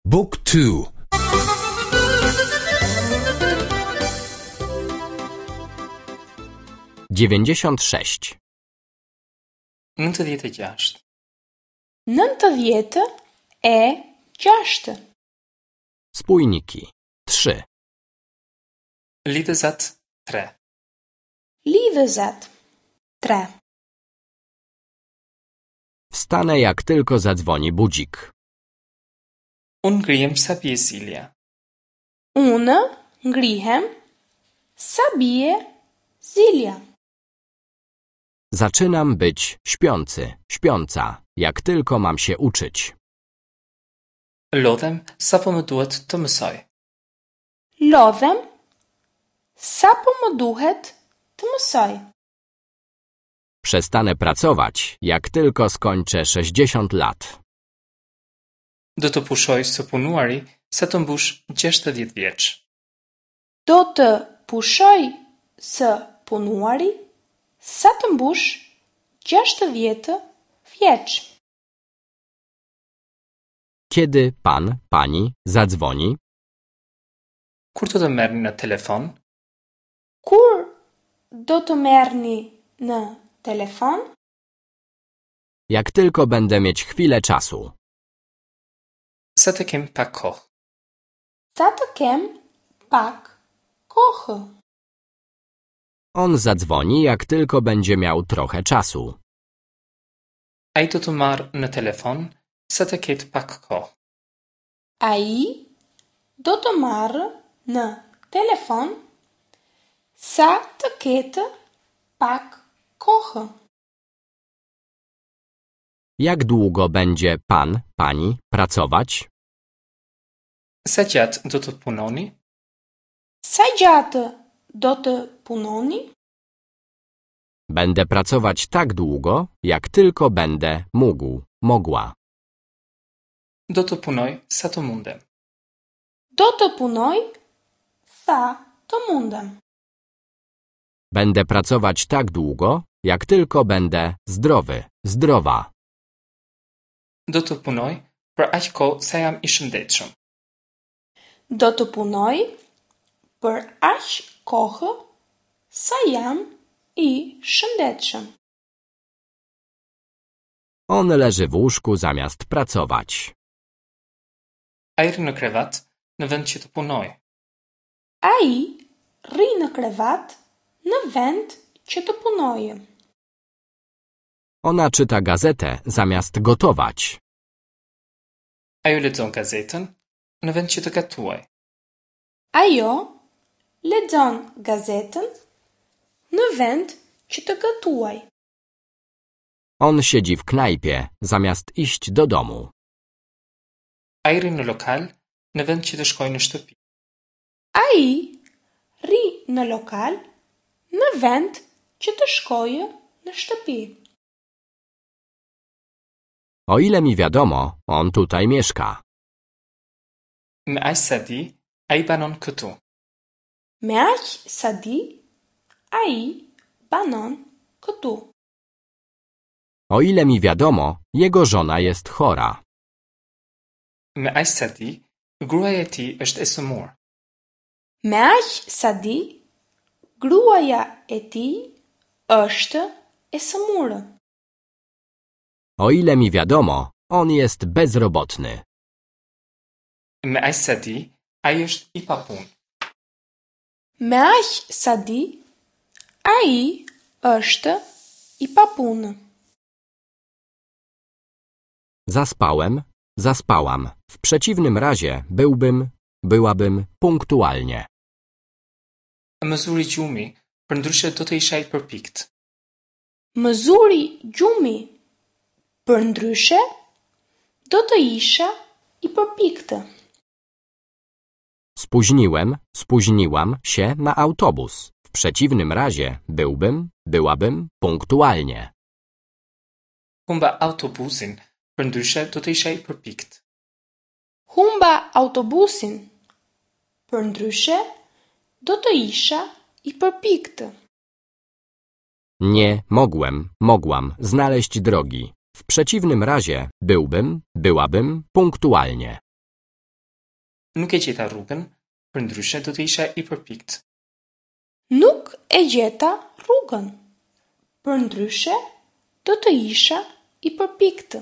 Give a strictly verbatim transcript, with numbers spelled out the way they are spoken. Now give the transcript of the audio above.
Book two. Dziewięćdziesiąt sześć. Nëntëdhjetë e gjashtë. Nëntëdhjetë e gjashtë. Spójniki. Trzy. Lidhëzat tre. Lidhëzat tre. Wstanę, jak tylko zadzwoni budzik. Unë ngrihem sa bie zilja. Unë ngrihem sa bie zilja. Zaczynam być śpiący, śpiąca, jak tylko mam się uczyć. Lodhem sapo më duhet të mësoj. Lodhem sapo më duhet të mësoj. Przestanę pracować, jak tylko skończę sześćdziesiąt lat. Do të pushoj së punuari sa të mbush gjashtëdhjetë vjeç. Do të pushoj së punuari sa të mbush gjashtëdhjetë vjeç. Kiedy pan, pani zadzwoni? Kur do të merrni në telefon? Kur do të merrni në telefon? Jak tylko będę mieć chwilę czasu. Sa të kem pak kohë. Sa të kem pak kohë. On zadzwoni, jak tylko będzie miał trochę czasu. Ai do të marrë në telefon sa të ketë pak kohë. Ai do të marrë në telefon sa të ketë pak kohë. Jak długo będzie pan, pani pracować? Sa gjatë do të punoni? Sa gjatë do të punoni? Będę pracować tak długo, jak tylko będę mógł, mogła. Do të punoj sa të mundem. Do të punoj sa të mundem. Będę pracować tak długo, jak tylko będę zdrowy, zdrowa. Do të punoj për aq kohë sa jam i shëndetshëm. Do të punoj për aq kohë sa jam i shëndetshëm. On leży w łóżku zamiast pracować. Ai rri në krevat në vend që të punojë. Ai rri në krevat në vend që të punojë. Ona czyta gazetę zamiast gotować. Ajo lexon gazetën në vend që të gatuajë. Ajo lexon gazetën në vend që të gatuajë. On siedzi w knajpie zamiast iść do domu. Ai rri në lokal në vend që të shkojë në shtëpi. Ai rri në lokal në vend që të shkojë në shtëpi. O ile mi wiadomo, on tutaj mieszka. Me aq sa di, ai banon këtu. Me aq sa di, ai banon këtu. O ile mi wiadomo, jego żona jest chora. Me aq sa di, gruaja e tij është e sëmurë. Me aq sa di, gruaja e tij është e sëmurë. O ile mi wiadomo, on jest bezrobotny. Me aq sa di, ai është i papunë. Me aq sa di, ai është i papunë. Zaspałem, zaspałam. W przeciwnym razie byłbym, byłabym punktualnie. Më zuri gjumi, përndryshe do të isha i përpikt. Më zuri gjumi, përndryshe do të isha i përpiktë. Spóźniłem, spóźniłam się na autobus. W przeciwnym razie byłbym, byłabym punktualnie. Humba autobusin, përndryshe do të isha i përpikt. Humba autobusin, përndryshe do të isha i përpiktë. Nie mogłem, mogłam znaleźć drogi. W przeciwnym razie byłbym, byłabym punktualnie. Nuk e gjeta rrugën, përndryshe do të isha i përpiktë. Nuk e gjeta rrugën, përndryshe do të isha i përpiktë.